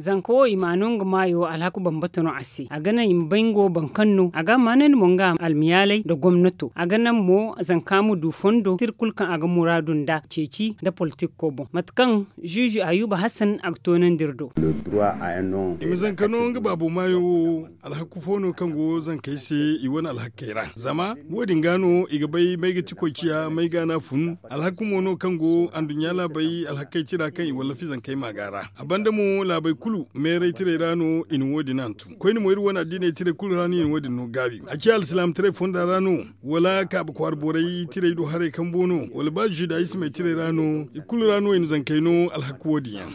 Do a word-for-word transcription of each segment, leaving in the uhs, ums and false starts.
Zanka wo i ma no nga maayo alhaku bambata no a se a ga naŋ i ma bay nga wo boro kaŋ no a ga a maanandi mo nga almiyaalay nda gomnato a ga naŋ mo zanka ma du fondo tira kulu kaŋ a ga muraadu nd'a ceeci nda politikko boŋ mate kaŋ ziizi ayuba hasan a ga toonandi iri do. I ma zanka no nga baabo maayo wo alhaku fo no kaŋ go zankey se i wane alhakey ra zama wo- din ga no i ga bay may ga ti koy ciya may ga no a fun. Alhaku mo no kaŋ go anduɲɲa laabey alhakey tira kaŋ i wallafi zankey maaga ra. A banda mo laabey kulu meeray tirey ra no i na wo- din hantum koyne mo iri wane addiiney tirey kulu ra no i na wo- din no gaabi a ciya alsilaamataray fonda ra no wala kaaba kwaara borey tirey do haray kambo no wala ba zudayismey tirey ra no i kulu ra no i na zankey no alhaku wo- din yaŋ.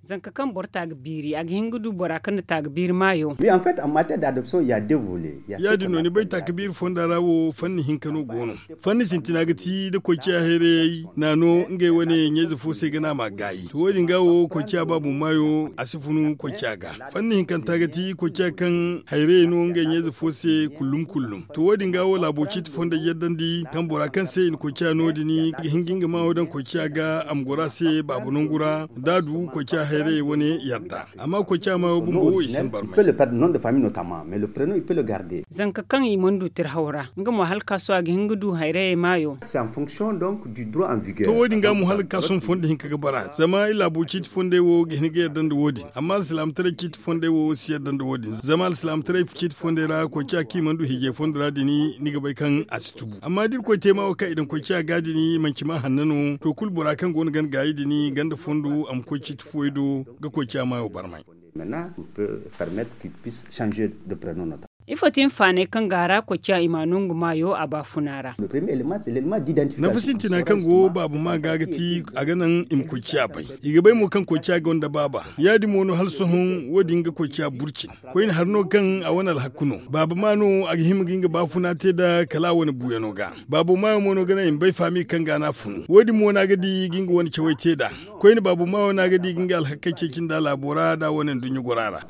Zanka kaŋ boro ta ga biiri a ga hin ga du bora kaŋ na ta ga biiri maayo. Ya- din no ni bay ta ga biiri fonda ra wo fanni hinka no go no. Fanni sintina ga ti da koy ciya hayrayey naano ngey wane ɲayze fo se ga naama gaayi to wo- din ga wo koy ciya baabu maayo a si funu koy ciya ga. Fanni hinkanta ga ti koy ciya kaŋ hayrayey no ngey ɲayze fo se kullum kullum. To wo- din ga wo laabo ciiti fondey yaddandi kaŋ bora kaŋ se i na koy ciya no- din ga hin ga nga maayo daŋ koy ciya ga a ma goro a se baaba nangu ra da a du koy ciya hayrayey wane yarda. Amma koy ciya maayo bumbo wo i si ni barmay. Zanka kaŋ i mana du tirhaw ra nga mo hala kaaso a ga hin ga du hayrayey maayo. To wo- din ga mo hala kaaso ma fondo hinka ga bara zama i laabo ciiti fondey wo ga hin ga yadda nda wo- din amma alsilaamataray ciiti fondey wo si yadda nda wo- din zama alsilaamataray ciiti fondey ra koy ciya kaŋ i mana du hijay fondo ra din ni ga bay kaŋ a si tubu amma da irkoy te maayo kaŋ i daŋ koy ciya ga din manci ma hanna no to kulu bora kaŋ go no ganda gaayi din ganda fondo a ma koy ciiti fuwey do ga koy ciya maayo barmay. Ifo ti hinfaanay kaŋ ga a ra koy ciya i ma a no nga maayo a baafuna ra? Nafa sintina kaŋ go baaba ma ga ga ti a ga naŋ i ma koy ciya bay. I ga bay mo kaŋ koy ciya gonda baaba ya- din mo no hala sohõ wo- din ga koy ciya burcin. Koyne hari no kaŋ a wane alhaku no baaba ma no a ga hima ga nga baafuna te nd'a kala a wane buuyano ga. Baabo maayo mo no ga naŋ i ma bay faami kaŋ ga no a funu wo- din mo no a ga di ga nga wane cawey te nd'a. Koyne baabo maayo no a ga di ga nga alhakey ceeci nda laabo ra nd'a wane nduɲɲa gora ra.